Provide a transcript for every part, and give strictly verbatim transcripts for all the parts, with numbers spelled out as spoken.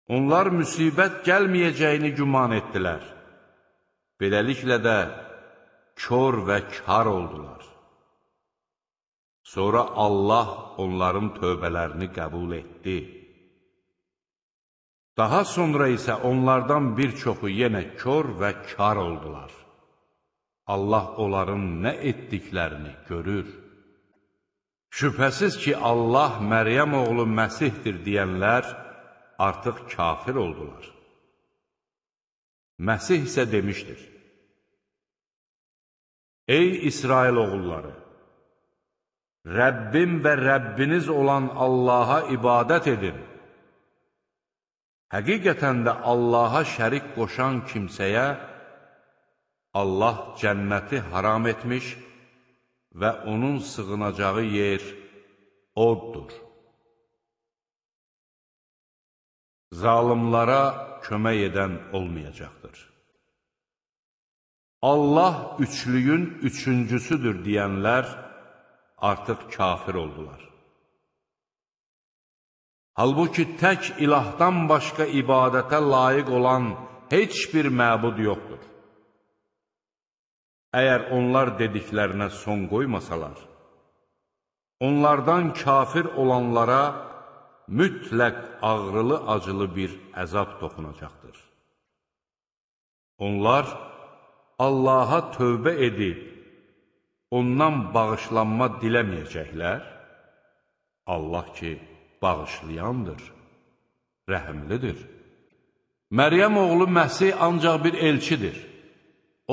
Onlar müsibət gəlməyəcəyini güman etdilər. Beləliklə də kör və kar oldular. Sonra Allah onların tövbələrini qəbul etdi. Daha sonra isə onlardan bir çoxu yenə kör və kar oldular. Allah onların nə etdiklərini görür. Şübhəsiz ki, Allah Məryəm oğlu Məsihdir deyənlər artıq kafir oldular. Məsih isə demişdir: Ey İsrail oğulları! Rəbbim və Rəbbiniz olan Allaha ibadət edin. Həqiqətən də Allaha şərik qoşan kimsəyə Allah cənnəti haram etmiş və onun sığınacağı yer oddur. Zalimlara kömək edən olmayacaqdır. Allah üçlüyün üçüncüsüdür deyənlər artıq kafir oldular. Halbuki tək ilahdan başqa ibadətə layiq olan heç bir məbud yoxdur. Əgər onlar dediklərinə son qoymasalar, onlardan kafir olanlara mütləq ağrılı-acılı bir əzab toxunacaqdır. Onlar Allaha tövbə edib, ondan bağışlanma diləməyəcəklər. Allah ki, bağışlayandır, rəhimlidir. Məryəm oğlu Məsih ancaq bir elçidir.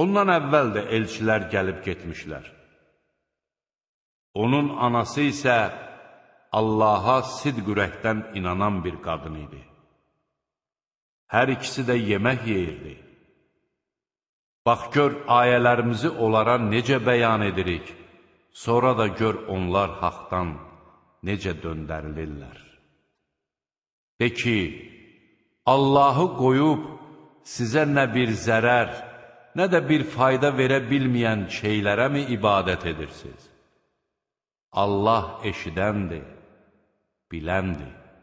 Ondan əvvəl də elçilər gəlib getmişlər. Onun anası isə Allaha sidq ürəkdən inanan bir qadın idi. Hər ikisi də yemək yeyirdi. Bax gör, ayələrimizi onlara necə bəyan edirik, sonra da gör onlar haqdan necə döndərilirlər. De ki, Allahı qoyub sizə nə bir zərər, nə də bir fayda verə bilməyən şeylərə mi ibadət edirsiniz? Allah eşidəndir, biləndir.